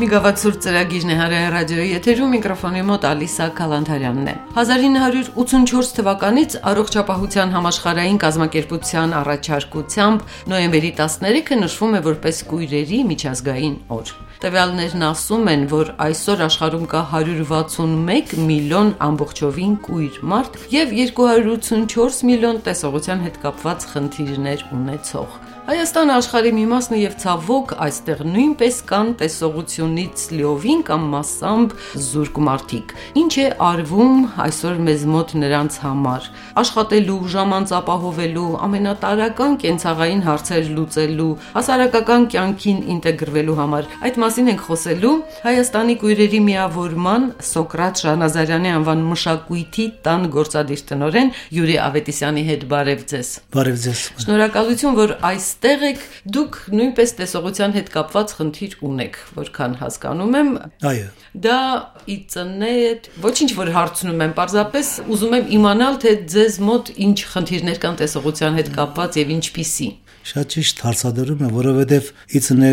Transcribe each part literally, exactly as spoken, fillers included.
մի գավաթ ծրագիրն է Հարայ ռադիոյի եթերում, միկրոֆոնի մոտ Ալիսա Քալանթարյանն է։ հազար ինը հարյուր ութսունչորս թվականից առողջապահության համաշխարհային կազմակերպության առաջարկությամբ նոյեմբերի տասներեքը նշվում է որպես կույրերի միջազգային օր։ Տվյալներն ասում են, որ այսօր աշխարհում կա հարյուր վաթսունմեկ միլիոն ամբողջովին կույր մարդ եւ երկու հարյուր ութսունչորս միլիոն տեսողության հետ կապված խնդիրներ ունեցող։ Հայաստանը աշխարհի մի մասն է եւ ցավոք այստեղ նույնպես կան տեսողությունից լիովին կամ մասամբ զուրկ մարդիկ։ Ինչ է արվում այսօր մեզ մոտ նրանց համար։ Աշխատելու, ժամանց ապահովելու, ամենատարրական կենցաղային հարցեր լուծելու, հասարակական կյանքին ինտեգրվելու համար։ Այդ մասին ենք խոսելու Հայաստանի կույրերի միավորման Սոկրատ Շահնազարյանի անվան մշակույթի տան գործադիր տնօրեն Յուրի Ավետիսյանի հետ։ Բարև ձեզ։ Բարև ձեզ։ Շնորհակալություն, որ այս Այստեղ եք դուք նույնպես տեսողության հետ կապված խնդիր ունեք, որքան հասկանում եմ։ Այո։ Դա իծնետ, ոչինչ որ հարցնում եմ, պարզապես ուզում եմ իմանալ, թե ձեզ մոտ ինչ խնդիրներ կան տեսողության հետ կապված եւ ինչպիսի։ Շատ ճիշտ հարցադրում եմ, որովհետև իծնե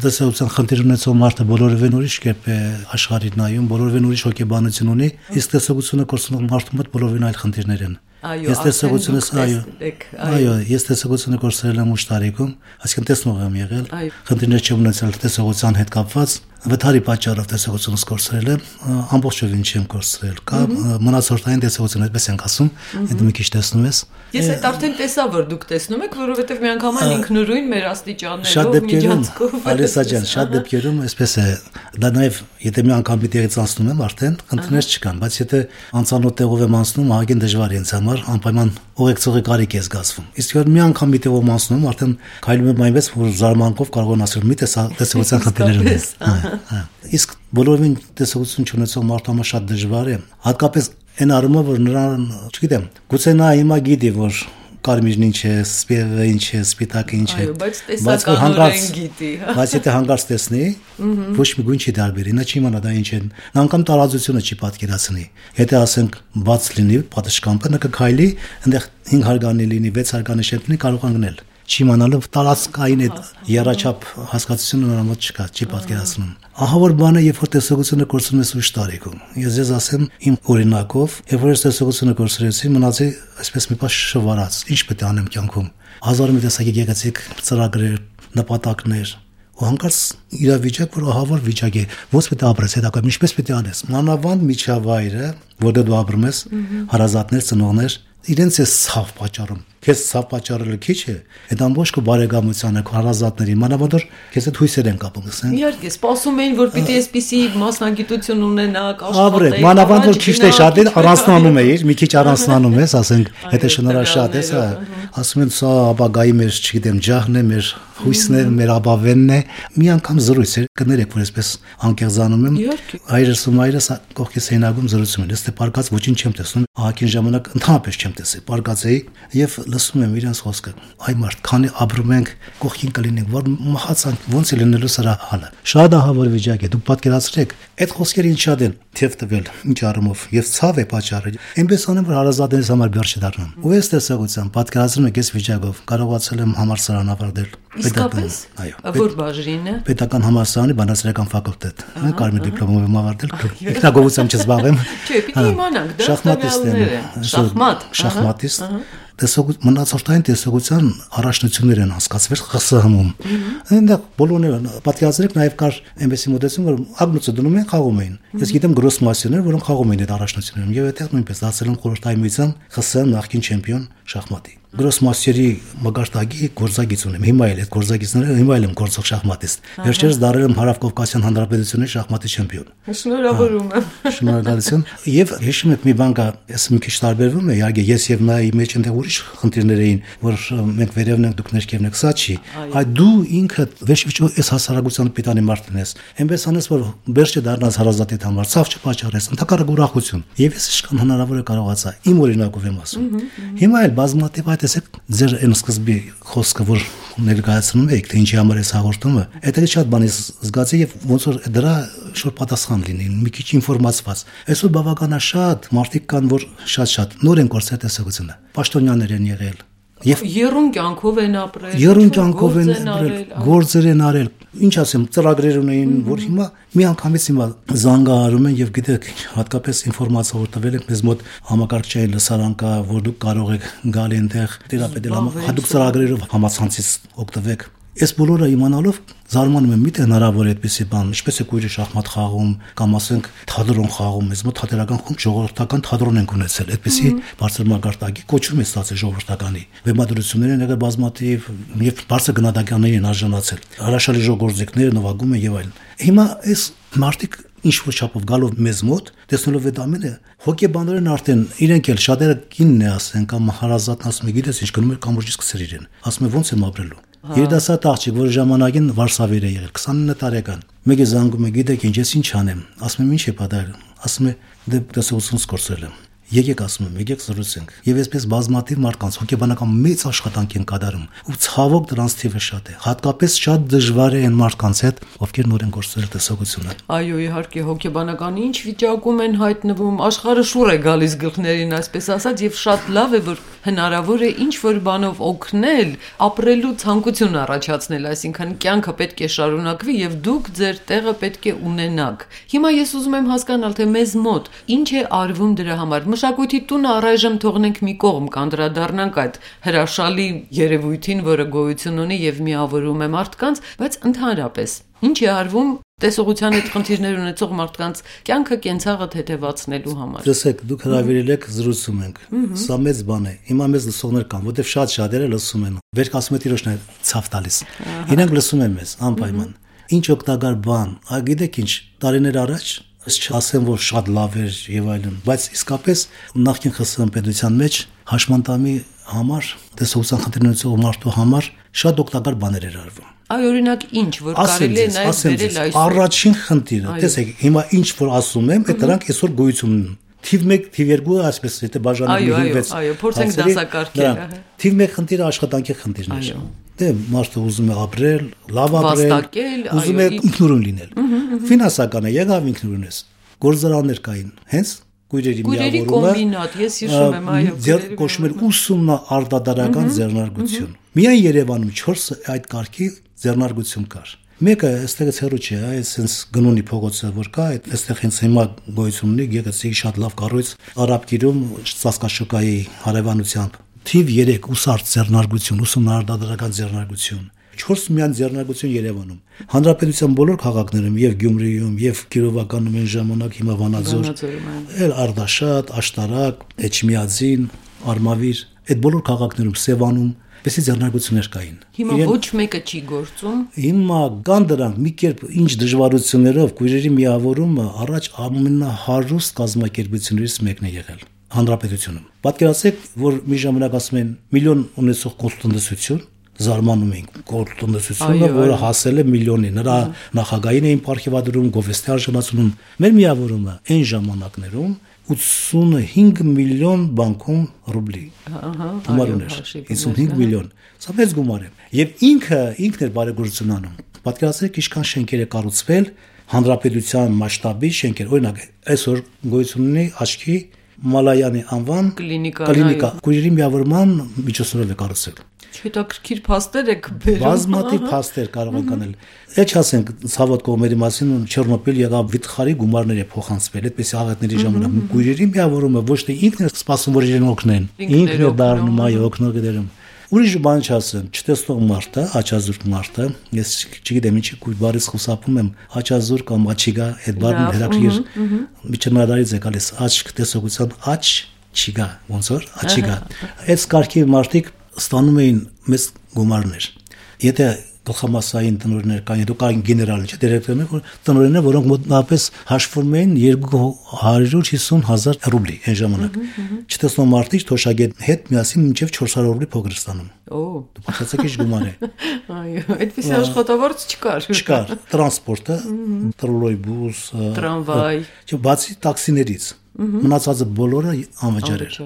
տեսողության խնդիր ունեցող մարդը բոլորովին ուրիշ կերպ է աշխարհին նայում, բոլորովին ուրիշ հոգեբանություն ունի, իսկ տեսողությունը կորցնող մարդու մոտ բոլորովին այլ խնդիրներ են։ Ես տեսողությունս այո, այո, ես տեսողությունը կորցրել եմ ուշ տարիքում, այսինքն տեսնող եմ եղել, խնդիրներ չեմ ունեցել տեսողության հետ կապված, վթարի պատճառով տեսողությունս կորցրել եմ, ամբողջովին չեմ կորցրել, կա մնացորդային տեսողություն, այդպես ենք ասում, այդ մի քիչ տեսնում ես։ Ես այդ արդեն տեսա, որ դուք տեսնում եք, որովհետև մի անգամ ինքնուրույն մեր աստիճաններով, շատ դեպքերում, Ալիսա ջան, շատ դեպքերում այսպես է, դա նաև եթե մի անգամ պիտի անցնում եմ, արդեն խնդիրներ չկան, բայց եթե անծանոթ տեղով եմ անցնում, ահագին դժվար է ինձ համար անպայման ուղեկցողի կարիք է զգացվում։ Իսկ որ մի անգամ մի տեղով անցնում, արդեն քայլում եմ այնպես, որ զարմանքով կարող եմ ասել՝ մի տեսողության խնդիրներ ունեմ։ Իսկ բոլորովին տեսողություն չունեցող մարդու համար շատ դժվար է, հատկապես այն առումով, որ նրան, չգիտեմ, գուցե նա հիմա գիտի, որ կարմիրն ինչ է, սպիտակը ինչ է, սպիտակը ինչ է, բայց հանկարծ գիտի, բայց եթե հանկարծ տեսնի, ոչ մի գույն չի տարբերի, նա չի իմանա դա ինչ է, նա անգամ տարածությունը չի պատկերացնի։ Եթե ասենք բաց լինի պատշգամբը, նա կքայլի, այնտեղ հինգ հարգանի լինի, վեց հարգանի շենքնի կարող անգնել։ Չի իմանալով տարածքային այդ երաչափ հասկացությունը նրա մոտ չկա, չի պատկերացնում։ Ահա որ բանը, երբ որ տեսողությունը կորցնում ես ուշ տարիքում։ Ես ձեզ ասեմ իմ օրինակով, երբ որ ես տեսողությունը կորցրեցի, մնացի այսպես մի պաշ շվարած։ Ինչ պետք է անեմ կյանքում։ Հազար մի տեսակի գեղեցիկ ծրագրեր, նպատակներ, ու հանկարծ իրավիճակ, որ ահա որ վիճակ է, ոնց պետք է ապրես, հետագայում ինչպես պետք է անես։ Մանավանդ միջավայրը, որտեղ դու ապրում ես, հարազատներ, ծնողներ, իրենց է ցավ պատճառում։ Քեզ ցավ պատճառելը քիչ է, այդ ամբողջ քո բարեկամությանը, քո հարազատների, մանավանդ որ քեզ այդ հույսեր են կապում, ասեն։ Իհարկե, սպասում էին, որ պիտի այսպիսի մասնագիտություն ունենաք, աշխատեք։ Մանավանդ որ քիչ թե շատ է, առանձնանում էիր, մի քիչ առանձնանում ես, ասենք, եթե շնորհաշատ ես, ասում են սա ապագայի մեր, չգիտեմ, ջահն է, մեր հույսն է, մեր ապավենն է։ Մի անգամ զրույց էր, կներեք, որ այսպես անկեղծանում եմ։ Հայրս ու մայրս կողքից հենագում զրուցում են, ես թե պարկած ոչինչ չեմ տեսնում, ահագին ժամանակ ընդհանրապես չեմ տեսել, պարկած էի եւ լսում եմ իրենց խոսքը։ Այ մարդ, քանի ապրում ենք, կողքին կլինենք, որ մահացանք, ոնց է լինելու սրա հալը։ Շատ ահավոր վիճակ է, դուք պատկերացրեք, այդ խոսքերը ինչ շատ են թեև տվել, ինչ առումով, եւ ցավ է պատճառը։ Այնպես անեմ, որ հարազատներից համար բյար չդառնամ։ Ու ես տեսողության պատկերացնում եք այս վիճակով, կարողացել եմ համալսարան ավարտել։ Իսկապես։ Այո։ Որ բաժինը։ Պետական համալսարանի բանասիրական ֆակուլտետ։ Mən կարմիր դիպլոմով եմ ավարտել, ինքնագովությամբ չզբաղվեմ։ Չէ, պիտի իմանանք, դա շախմատիստ եմ։ Շախմատ։ Շախմատիստ։ Տեսողություն մնացորդային տեսողության առաջնություններ են հասկացվել ԽՍՀՄ-ում։ Այնտեղ բոլորները պատկերացրեք նաև կար այնպեսի մոտեցում, որ ագնոցը դնում են, խաղում էին։ Ես գիտեմ գրոսմասյոներ, որոնք խաղում էին այդ առաջնություններում, եւ այդտեղ նույնպես դարձել են խորհրդային միության ԽՍՀՄ նախկին չեմպիոն շախմատի։ Գրոսմասյերի մագարտագի գործագիծ ունեմ։ Հիմա էլ այդ գործագիծները հիմա էլ եմ գործող շախմատիստ։ Վերջերս դարձել եմ Հարավկովկասյան Հանրապետությունի շախմատի չեմպիոն։ Շնորհավորում եմ։ Շնորհակալություն։ Եվ հիշում եք մի բան կա, ես մի քիչ տարբերվում է, իհարկե ես եւ նա ի մեջ այնտեղ ուրիշ խնդիրներ էին, որ մենք վերևն ենք, դուք ներքևն եք, սա չի։ Այդ դու ինքդ վերջիվերջո այս հասարակության պիտանի մարդն ես։ Այնպես անես, որ վերջը դառնաս հարազատիդ համար, ցավ չպաճառես, ընդհակառակ ուրախություն։ Եվ ես իշքան հնարավոր է կարողացա իմ օրինակով եմ ասում։ Հիմա էլ բազմաթիվ այդ տեսեք ձեր այն սկզբի խոսքը, որ ներկայացնում եք, թե ինչի համար է հաղորդումը, դա շատ բան է զգացի եւ ոնց որ դրա շուտ պատասխան լինի, մի քիչ ինֆորմացված։ Այսօր բավականաշատ մարդիկ կան, որ շատ-շատ նոր են կորցրել տեսողությունը։ Պաշտոնյաներ են եղել, Եվ երուն կյանքով են ապրել, երուն կյանքով են ապրել, գործեր են արել։ Ինչ ասեմ, ծրագրեր ունեին, որ հիմա մի անգամից հիմա զանգահարում են եւ գիտեք, հատկապես ինֆորմացիա որ տվել են մեզ մոտ համակարգչային լսարան կա, որ դուք կարող եք գալ այնտեղ տերապետել հատուկ ծրագրերով համացանցից օգտվեք։ Այս բոլորը իմանալով զարմանում եմ, միթե հնարավոր է այդպեսի բան, ինչպես է քույրը շախմատ խաղում կամ ասենք թատրոն խաղում, մեզ մոտ թատերական խումբ ժողովրդական թատրոն ենք ունեցել, այդպեսի բարձր մակարդակի կոչում է ստացել ժողովրդականի։ Վեմադրություններ են եղել բազմաթիվ եւ բարձր գնահատականներ են արժանացել։ Հրաշալի ժողովրդիկներ նվագում են եւ այլն։ Հիմա այս մարտիկ ինչ որ չափով գալով մեզ մոտ, տեսնելով այդ ամենը, հոգեբաններն արդեն իրենք էլ շատերը կինն է ասեն կամ հարազատն ասում է, գիտես ինչ գնում է կամուրջից սկսել իրեն։ Ասում է ոնց եմ ապրելու։ Երիտասարդ աղջիկ, որ ժամանակին Վարշավեր է եղել, քսանինը տարեկան։ Մեկը զանգում է, գիտեք ինչ, ես ինչ անեմ։ Ասում եմ, ինչ է պատահել։ Ասում է, դե տեսողություն սկսել եմ։ Եկեք ասում եմ, եկեք զրուցենք։ Եվ այսպես բազմաթիվ մարդկանց հոգեբանական մեծ աշխատանք են կատարում, ու ցավոք դրանց թիվը շատ է։ Հատկապես շատ դժվար է այն մարդկանց հետ, ովքեր նոր են գործել տեսողությունը։ Այո, իհարկե, հոգեբանական ինչ վիճակում են հայտնվում, աշխարհը շուռ է գալիս գլխներին, այսպես ասած, եւ շատ լավ է, որ հնարավոր է ինչ որ բանով օգնել, ապրելու ցանկություն առաջացնել, այսինքն կյանքը պետք է շարունակվի եւ դուք ձեր տեղը պետք է ունենաք։ Հիմա ես ուզում եմ հասկանալ, թե մեզ մոտ ինչ է արվում դրա համար։ Մշակույթի տունը առայժմ թողնենք մի կողմ, կանդրադառնանք այդ հրաշալի երևույթին, որը գոյություն ունի եւ միավորում է մարդկանց, բայց ընդհանրապես ինչ է արվում տեսողության հետ խնդիրներ ունեցող մարդկանց կյանքը կենցաղը թեթևացնելու համար։ Տեսեք, դուք հրավիրել եք, զրուցում ենք։ Սա մեծ բան է։ Հիմա մեզ լսողներ կան, որտեղ շատ շատերը լսում են։ Վերք ասում է տիրոջն է ցավ տալիս։ Իրենք լսում են մեզ անպայման։ Ինչ օգտակար բան։ Ա գիտեք ինչ, տարիներ առաջ չասեմ, որ շատ լավ էր եւ այլն, բայց իսկապես նախկին ԽՍՀՄ պետության մեջ հաշմանդամի համար, տեսողության խնդիրներ ունեցող մարդու համար շատ օգտակար բաներ էր արվում։ Այ օրինակ ինչ, որ կարելի է նաեւ վերել այսօր։ Առաջին խնդիրը, տեսեք, հիմա ինչ որ ասում եմ, այդ դրանք այսօր գոյություն ունեն։ Թիվ մեկ, թիվ երկու, այսպես եթե բաժանենք հինգ-վեց։ Այո, այո, փորձենք դասակարգել։ Թիվ մեկ խնդիրը աշխատանքի խնդիրն է։ Դե մարդը ուզում է ապրել, լավ ապրել, ուզում է ինքնուրույն լինել։ Ֆինանսական է, եղավ ինքնուրույն ես։ Գործարաններ կային, հենց քույրերի միավորումը։ Քույրերի կոմբինատ, ես հիշում եմ, այո, ձեր կոչում էր ուսումնաարտադրական ձեռնարկություն։ Միայն Երևանում չորս այդ կարգի ձեռնարկություն կար։ Մեկը այստեղից հեռու չէ, այս sense գնունի փողոցը որ կա, այստեղ հենց հիմա գոյություն ունի, գեղեցիկ շատ լավ կառույց, Արաբկիրում Ծածկաշուկայի հարևանությամբ։ Թիվ երեք ուսարդ ձեռնարկություն, ուսումնաարտադրական ձեռնարկություն, չորս միայն ձեռնարկություն Երևանում։ Հանրապետության բոլոր քաղաքներում եւ Գյումրիում եւ Կիրովականում այն ժամանակ հիմա Վանաձոր, էլ Արդաշատ, Աշտարակ, Էջմիածին, Արմավիր, այդ բոլոր քաղաքներում Սևանում Եսի ձեռնարկություններ կային։ Հիմա ոչ մեկը չի գործում։ Հիմա կան դրանք մի կերպ ինչ դժվարություններով քույրերի միավորումը առաջ ամենահարուստ կազմակերպություններից մեկն է եղել հանրապետությունում։ Պատկերացրեք, որ մի ժամանակ ասում են միլիոն ունեցող կոլտնտեսություն, զարմանում ենք կոլտնտեսությունը, որը հասել է միլիոնի։ Նրա նախագահին էին պարգևադրում, գովեստի արժանացնում։ Մեր միավորումը այն ժամանակներում ութսունհինգ միլիոն բանկում ռուբլի գումար ուներ, հիսունհինգ միլիոն, սա մեծ գումար է, եւ ինքը ինքն էր բարեգործություն անում։ Պատկերացրեք ինչքան շենքեր է կառուցվել հանրապետության մասշտաբի շենքեր, օրինակ այսօր գոյություն ունի աչքի Մալայանի անվան կլինիկա, քույրերի միավորման միջոցներով է կառուցել։ Հետաքրքիր փաստեր եք բերում։ Բազմաթիվ փաստեր կարող են կանել։ Էջ ասենք ցավոտ կողմերի մասին Չեռնոբիլ եղավ վիթխարի գումարներ է փոխանցվել, այդպես աղետների ժամանակ քույրերի միավորումը ոչ թե ինքն է սպասում որ իրեն օգնեն, ինքն է դառնում այ օգնող դերում։ Ուրիշ բան չասեմ, չտեսնող մարդը, աչազուրկ մարդը, ես չգիտեմ ինչի քույր բարից խուսափում եմ, աչազուրկ կամ աչիգա, այդ բառն հետաքրքիր միջնադարից է գալիս, աչք տեսողության աչ չիգա, ոնց որ աչիգա։ Այս կարգի մարդիկ ստանում էին մեծ գումարներ։ Եթե գլխամասային տնօրեններ կային, դու կային գեներալ, չէ՞, դիրեկտորներ, որ տնօրեններ, որոնք մոտավորապես հաշվում էին երկու հարյուր հիսուն հազար ռուբլի այն ժամանակ։ Չտեսնող մարդիկ թոշակետ հետ միասին մինչև չորս հարյուր ռուբլի փող ստանում։ Օ, դու պատասխանեք ինչ գումար է։ Այո, այդպես աշխատավարձ չկար։ Չկար, տրանսպորտը, տրոլոյբուս, տրամվայ, չէ, բացի տաքսիներից, մնացածը բոլորը անվճար էր։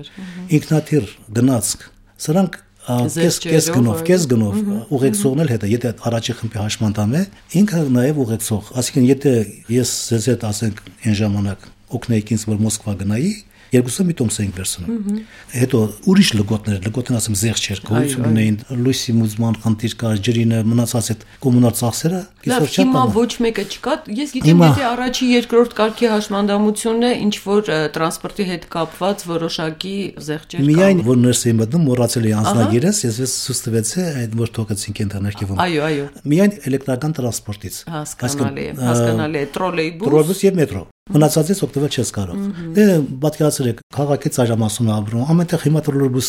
Ինքնաթիռ գնացք, սրանք Կես կես գնով, կես գնով ուղեկցողն էլ հետը, եթե առաջի խմբի հաշմանդամ է, ինքը նաև ուղեկցող, այսինքն եթե ես ձեզ հետ ասենք այն ժամանակ օգնեիք ինձ որ Մոսկվա գնայի, երկուսը մի տոմս էինք վերցնում։ Հետո ուրիշ լգոտներ, լգոտն ասեմ զեղ չէր, գոյություն ունեին, լույսի մուզման խնդիր կար, ջրինը մնացած այդ կոմունալ ծախսերը, կիսոր չափ։ Հիմա ոչ մեկը չկա, ես գիտեմ, եթե առաջի երկրորդ կարգի հաշմանդամությունն է, ինչ որ տրանսպորտի հետ կապված որոշակի զեղչեր կան։ Միայն որ ներս եմ մտնում, մոռացել էի անձնագիրս, ես ես ցույց տվեցի այդ որ թողեցինք ինտերնետում։ Այո, այո։ Միայն էլեկտրական տրանսպորտից։ Հասկանալի է, հասկանալի է, տրոլեյբուս։ Տրոլեյբուս եւ մետրո։ Մնացածից օգտվել չես կարող։ Դե պատկերացրեք, քաղաքի ծայրամասում ապրում, ամենտեղ հիմա տրոլեյբուս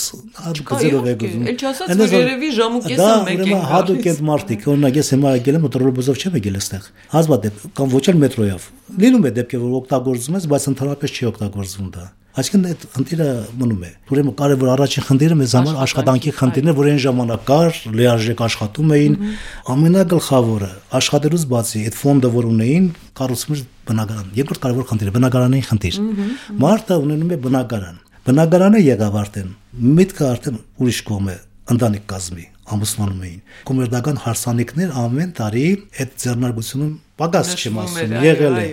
գծերով է գնում։ Էլ չասած որ երևի ժամ ու կեսը մեկ է։ Դա հատուկ է մարդիկ, օրինակ ես հիմա եկել եմ տրոլեյբուսով չեմ եկել այստեղ։ Հազվադեպ կամ ոչ էլ մետրոյով։ Լինում է դեպքեր որ օգտագործում ես, բայց ընդհանրապես չի օգտագործվում դա։ Այսինքն այդ խնդիրը մնում է։ Ուրեմն կարևոր առաջին խնդիրը մեզ համար աշխատանքի խնդիրն է, որ այն ժամանակ կար, լիարժեք աշխատում էին, ամենագլխավորը աշխատելուց բացի այդ ֆոնդը որ ունեին, կառուցում էր բնակարան։ Երկրորդ կարևոր խնդիրը բնակարանային խնդիր։ Մարդը ունենում է բնակարան։ Բնակարանը եղավ արդեն, միտքը արդեն ուրիշ կողմ է, ընտանիք կազմի, ամուսնանում էին։ Կոմերցիոն հարսանիքներ ամեն տարի այդ ձեռնարկությունում պակաս չեմ ասում, եղել է։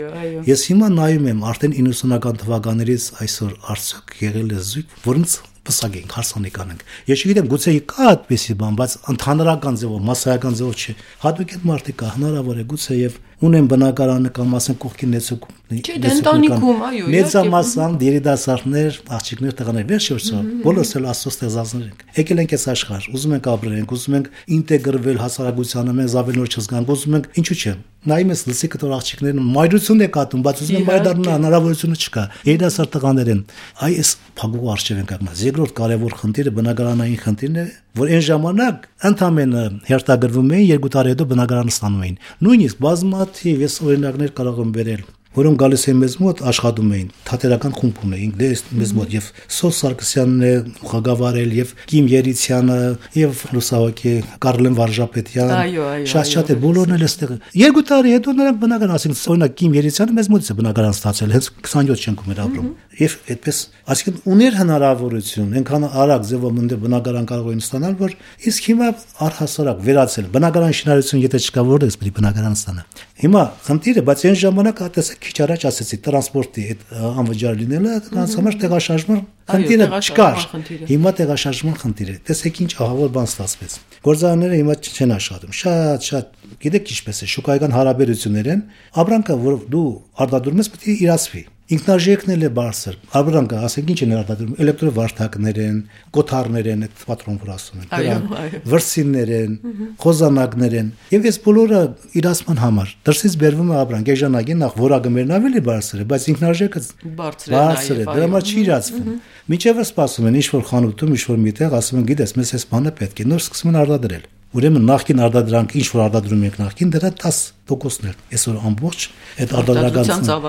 Ես հիմա նայում եմ արդեն իննսունական թվականներից այսօր արդյոք եղել է զույգ, որոնց պսակենք, հարսանիք անենք։ Ես չգիտեմ, գուցե կա այդպեսի բան, բայց ընդհանրական ձևով, մասսայական ձևով չէ։ Հատուկ այդ մարդիկ կա, հնարավոր է գուցե եւ ունեն բնակարանը կամ ասենք կողքին նեցուկ։ Չէ, ընտանիքում, այո, մեծամասն երիտասարդներ, աղջիկներ, տղաներ, վերջերս բոլորս էլ աստծո ստեղծածներ ենք։ Եկել ենք այս աշխարհ, ուզում ենք ապրենք, ուզում ենք ինտեգրվել հասարակությանը, մենք զավելնոր չզգանք, ուզում ենք, ինչու՞ չէ։ Նայում ես լսի կտոր աղջիկներն մայրություն է կատում, բայց ուզում են մայր դառնալ, հնարավորությունը չկա։ Երիտասարդ տղաներ են։ Այ այս փակուղու արժև ենք ակնած։ Երկրորդ կարևոր խնդիրը բնակարանային խնդիրն է, որ այն ժամանակ ընդամենը հերթագրվում էին, երկու տարի հետո բնակարանը ստանում էին։ Նույնիսկ բազմաթիվ ես օրինակներ կարող եմ բերել, որոնք գալիս են մեզ մոտ աշխատում էին, թատերական խումբ ունեին, դե մեզ մոտ եւ Սոս Սարգսյանն է ղեկավարել եւ Կիմ Երիցյանը եւ լուսահոգի Կարլեն Վարժապետյան, շատ-շատ է բոլորն էլ այստեղ։ Երկու տարի հետո նրանք բնական ասենք, օրինակ Կիմ Երիցյանը մեզ մոտից է բնական ստացել, հենց քսանյոթ շենքում էր ապրում։ Եվ այդպես, այսինքն ուներ հնարավորություն, այնքան արագ ձևով ընդ բնակարան կարող էին ստանալ, որ իսկ հիմա առհասարակ վերացել բնակարան շինարարություն եթե չկա որտեղս պետք է բնակարան ստանա։ Հիմա խնդիրը, բայց այն ժամանակ հատեսեք քիչ առաջ ասեցի տրանսպորտի այդ անվճար լինելը, նրանց համար տեղաշարժման խնդիրը չկար։ Հիմա տեղաշարժման խնդիր է։ Տեսեք ինչ ահավոր բան ստացվեց։ Գործարանները հիմա չեն աշխատում։ Շատ-շատ, գիտեք ինչպես է, շուկայական հարաբերություններ են, ապրանքը, որ դու արտադրում ես, պետք է իրացվի։ Ինքնարժեքն էլ է բարձր։ Ապրանքը, ասենք ինչ են արտադրում, էլեկտրովարդակներ են, կոթարներ են, այդ պատրոն որ ասում են, դրանք վրսիններ են, խոզանակներ են։ Եվ այս բոլորը իրացման համար դրսից բերվում է ապրանք, եժանագին նախ որակը ավելի բարձր է, բայց ինքնարժեքը բարձր է, դրա համար չի իրացվում։ Միջևը սպասում են ինչ-որ խանութում, ինչ-որ միտեղ, ասում են, գիտես, մեզ այս բանը պետք է, նոր սկսում են արտադրել։ Ուրեմն նախքին արտադրանք ինչ որ արտադրում ենք նախքին դրա դես տոկոսն էր այսօր ամբողջ այդ արտադրական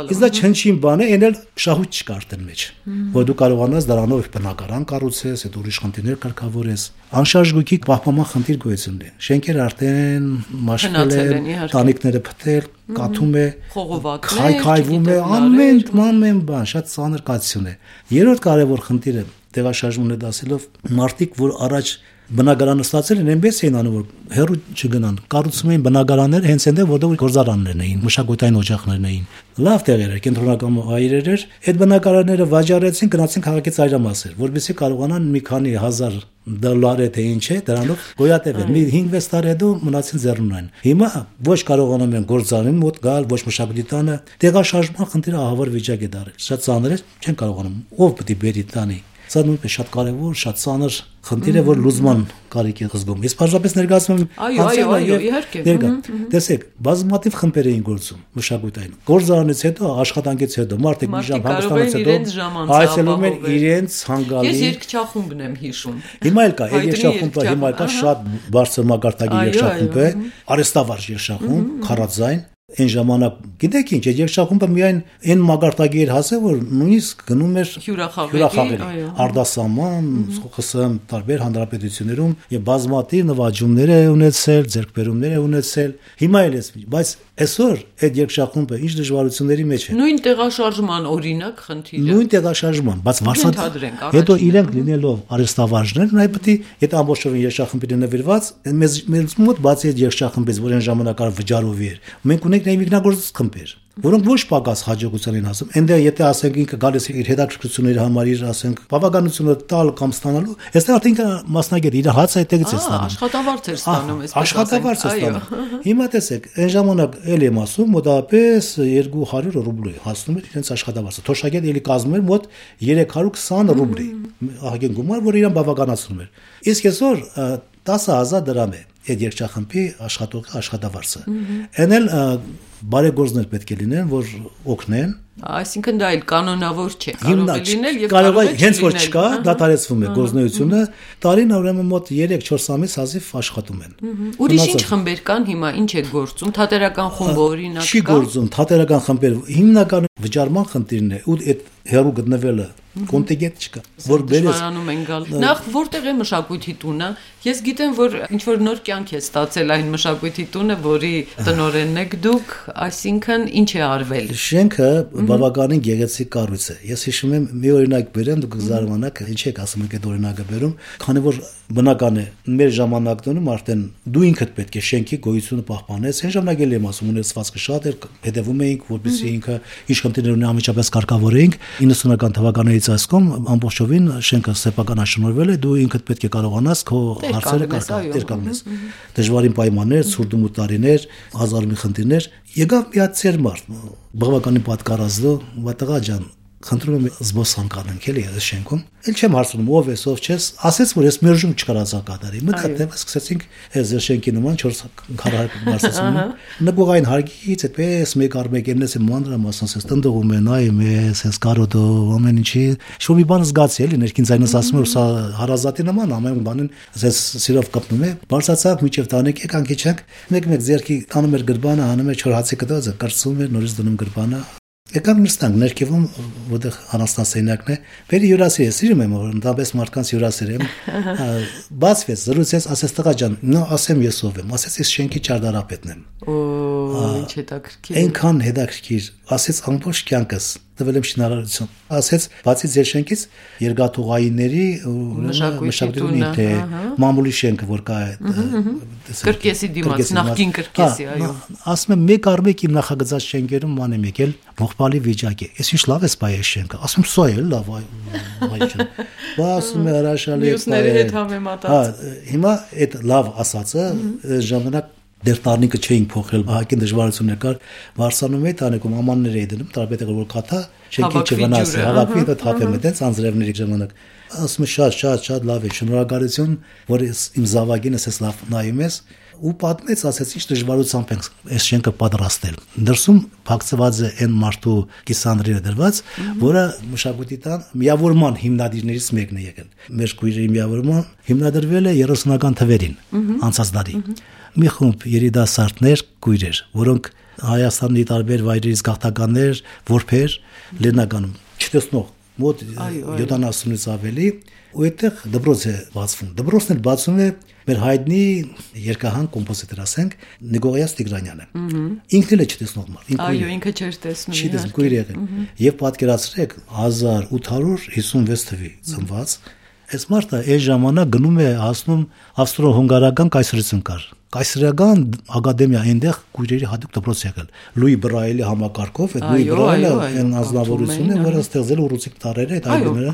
իսկ դա չնչին բան է այն էլ շահույթ չկա արդեն մեջ որ դու կարողանաս դրանով բնակարան կառուցես այդ ուրիշ խնդիրներ կարգավորես անշարժ գույքի պահպանման խնդիր գոյություն ունի շենքերը արդեն մաշկել են տանիքները փտել կաթում է քայքայվում է ամեն ամեն բան շատ ծանր կացություն է երրորդ կարևոր խնդիրը տեղաշարժումն է դասելով մարդիկ որ առաջ բնակարանը ստացել են այնպես էին անում որ հերու չգնան կառուցում էին բնակարաններ հենց այնտեղ որտեղ գործարաններն էին մշակութային օջախներն էին լավ տեղեր էր կենտրոնական հայրեր էր այդ բնակարանները վաճառեցին գնացին քաղաքի ծայրամասեր որովհետեւ կարողանան մի քանի հազար դոլար թե ինչ է դրանով գոյատևել մի հինգ-վեց տարի հետո մնացին ձեռնունայն հիմա ոչ կարողանում են գործարանին մոտ գալ ոչ մշակույթի տանը տեղաշարժման խնդիրը ահավոր վիճակ է դարել շատ ծանր է չեն կարողանում ով պետք է բերի տանի Սա նույնպես շատ կարևոր, շատ ծանր խնդիր է, որ լուծման կարիք է զգում։ Ես բաժանապես ներկայացնում եմ Այո, այո, այո, իհարկե։ Տեսեք, բազմաթիվ խմբեր էին գործում մշակույթային։ Գործարանից հետո, աշխատանքից հետո, մարդիկ մի ժամ հանգստանալուց հետո այցելում են իրենց հանգալի։ Ես երգչախումբն եմ հիշում։ Հիմա էլ կա, երգչախումբը հիմա կա շատ բարձր մակարդակի երգչախումբ է, արհեստավարժ երգչախումբ, քարաձայն Այն ժամանակ գիտեք ինչ երգչախումբը միայն այն մագարտակի էր հասել որ նույնիսկ գնում էր հյուրախաղերի արդասաման ԽՍՀՄ տարբեր հանրապետություններում եւ բազմաթիվ նվաճումներ է ունեցել ձեռքբերումներ է ունեցել հիմա էլ էս բայց այսօր այդ երգչախումբը ինչ դժվարությունների մեջ է նույն տեղաշարժման օրինակ խնդիրը նույն տեղաշարժման բայց վարսանք հետո իրենք լինելով արհեստավարժներ նայ պետք է այդ ամբողջովին երգչախմբի նվիրված մեզ մեզ մոտ բացի այդ երգչախմբից որ այն ժամանակ վճարովի էր մենք ունենք ունենք նեյմիկնագործ խմբեր, որոնք ոչ պակաս հաջողության են հասում։ Այնտեղ եթե ասենք ինքը գալիս է իր հետաքրքրությունների համար, իր ասենք բավականությունը տալ կամ ստանալու, այստեղ արդեն ինքը մասնագետ իր հացը այդտեղից է ստանում։ Աշխատավարձ է ստանում, այսպես աշխատավարձ է ստանում։ Հիմա տեսեք, այն ժամանակ էլ եմ ասում, մոտավորապես երկու հարյուր ռուբլի հասնում էր իրենց աշխատավարձը։ Թոշակետ էլի կազմում էր մոտ երեք հարյուր քսան ռուբլի։ Ահագին գումար, որ իրան բավականացնում էր։ Իսկ այսօր տասը հազար դրամ է այդ երկչախմբի աշխատողի աշխատավարձը։ Այն էլ բարեգործներ պետք է լինեն, որ օգնեն։ Այսինքն դա էլ կանոնավոր չէ, կարող է լինել եւ կարող է հենց որ չկա, դատարեցվում է գործունեությունը, տարին ուրեմն մոտ երեք-չորս ամիս հազիվ աշխատում են։ Ուրիշ ինչ խմբեր կան հիմա, ինչ է գործում, թատերական խումբը օրինակ կա։ Չի գործում, թատերական խմբեր հիմնական վճարման խնդիրն է, ու այդ հերու գտնվելը կոնտինգենտ չկա, որ բերես են գալ։ Նախ որտեղ է մշակույթի տունը։ Ես գիտեմ, որ ինչ որ նոր կյանք է ստացել այն մշակույթի տունը, որի տնօրենն եք դուք, այսինքն ինչ է արվել։ Շենքը բավականին գեղեցիկ կառույց է։ Ես հիշում եմ մի օրինակ բերեմ, դուք զարմանաք, ինչ եք ասում եք այդ օրինակը բերում, քանի որ բնական է մեր ժամանակներում արդեն դու ինքդ պետք է շենքի գոյությունը պահպանես։ Այն ժամանակ էլ եմ ասում, ունեցվածքը շատ էր, հետևում էինք, որպեսզի ինքը ինչ խնդիրներ ունի անմիջապես կարգավորեինք։ իննսունական թվականներից ասկոմ ամբողջովին շենքը սեփական աշնորհվել է, դու ինքդ պետք է կարողանաս քո հարցերը կարգավորես։ Դժվարին պայմաններ, ցուրտում ու տարիներ, հազար մի խնդիրներ, եկավ մի հատ ծեր մարդ, բավականին պատկառազդու, վատաղա ջան, խնդրում եմ զբոսանք անենք էլի այս շենքում։ Էլ չեմ հարցնում ով ես, ով չես, ասեց որ ես մերժում չկարացա կատարի։ Մտածեմ, սկսեցինք այս շենքի նման չորս քառահարկ բարձրացում։ Նկուղային հարգից այդպես մեկ առ մեկ եմնես եմ մանրամասն ասես տնտղում են, նայում ես, այս կարոտո ամեն ինչի։ Շո մի բան զգացի էլի ներքին ձայնս ասում որ սա հարազատի նման ամեն բանին ասես սիրով կապնում է։ Բարձրացանք միջև տանեք եկանք իջանք, մեկ-մեկ ձերքի տանում էր գրբանը, հանում էր չոր հացի կտոցը, կրծում էր, նորից դնում գրբանը։ Եկամ նստանք ներքևում, որտեղ անաստասենյակն է, վերի հյուրասեր է, սիրում եմ, որ ընդամենը մարդկանց հյուրասեր եմ, բացվեց, զրուցեց, ասեց տղա ջան, նո ասեմ ես ով եմ, ասեց ես շենքի ճարտարապետն եմ։ Օ, ինչ հետաքրքիր։ Այնքան հետաքրքիր, ասեց ամբողջ կյանքս տվել եմ շինարարություն։ Ասեց, բացի ձեր շենքից երկաթուղայինների մշակույթի թե մամուլի շենքը որ կա է կրկեսի դիմաց, նախկին կրկեսի, այո։ Ասում եմ մեկ առ մեկ իմ նախագծած շենքերում ման եմ եկել ողբալի վիճակ է։ Ես ինչ լավ է սպայ է շենքը։ Ասում սա է լավ, այո։ Բա ասում է հրաշալի է։ Մյուսների հետ համեմատած։ Հա, հիմա այդ լավ ասածը ժամանակ դեր տարնիկը չէին փոխել, բահակին դժվարություններ կար, վարսանում էի տանեկում ամաններ էի դնում, տարբերակը որ կաթա, շենքի չվնասի, հավաքվի դա թափեմ այդպես անձրևների ժամանակ։ Ասում եմ շատ շատ շատ լավ է, շնորհակալություն, որ իմ զավակին էս լավ նայում ես ու պատմեց, ասեց ինչ դժվարությամբ ենք այս շենքը պատրաստել։ Դրսում փակցված է այն մարդու կիսանդրերը դրված, որը մշակույթի տան միավորման հիմնադիրներից մեկն է եկել։ Մեր քույրերի միավորման հիմնադրվել է երեսունական թվերին, անցած դարի։ Մի խումբ երիտասարդներ, քույրեր, որոնք Հայաստանի տարբեր վայրերից գաղթականներ, որբեր, լեննագանում, չտեսնող, մոտ յոթանասունից ավելի, ու այդտեղ դպրոց է բացվում։ Դպրոցն էլ բացում է մեր հայտնի երկահան կոմպոզիտոր ասենք Նիկողայաց Տիգրանյանը։ Ինքն էլ է չտեսնող մարդ։ Այո, ինքը չէր տեսնում։ Չի տեսնում, քույր եղել։ Եվ պատկերացրեք հազար ութ հարյուր հիսունվեց թվի ծնված այս մարդը այս ժամանակ գնում է հասնում ավստրո-հունգարական կայսրություն կար։ Կայսրական ակադեմիա այնտեղ քույրերի հատուկ դպրոց եղել։ Լուի Բրայելի համակարգով, այդ Լուի Բրայելը այն ազնվորությունն է, որը ստեղծել ռուսիկ տարերը, այդ այլները։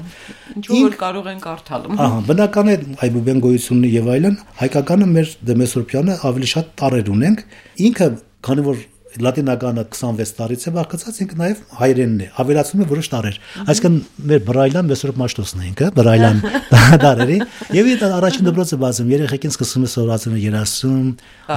Ինչ որ կարող են կարդալ։ Ահա, բնական է այբուբեն գոյությունն եւ այլն, հայկականը մեր Դեմեսրոպյանը ավելի շատ տարեր ունենք։ Ինքը, քանի որ լատինականը քսանվեց տարից է բաղկացած, ինքը նաև հայերենն է, ավելացնում է որոշ տարեր։ Այսինքն մեր Բրայլան Մեսրոպ Մաշտոսն է ինքը, Բրայլան տարերի, եւ այդ առաջին դպրոցը բացում, երեխեքին սկսում է սովորացնել երասում,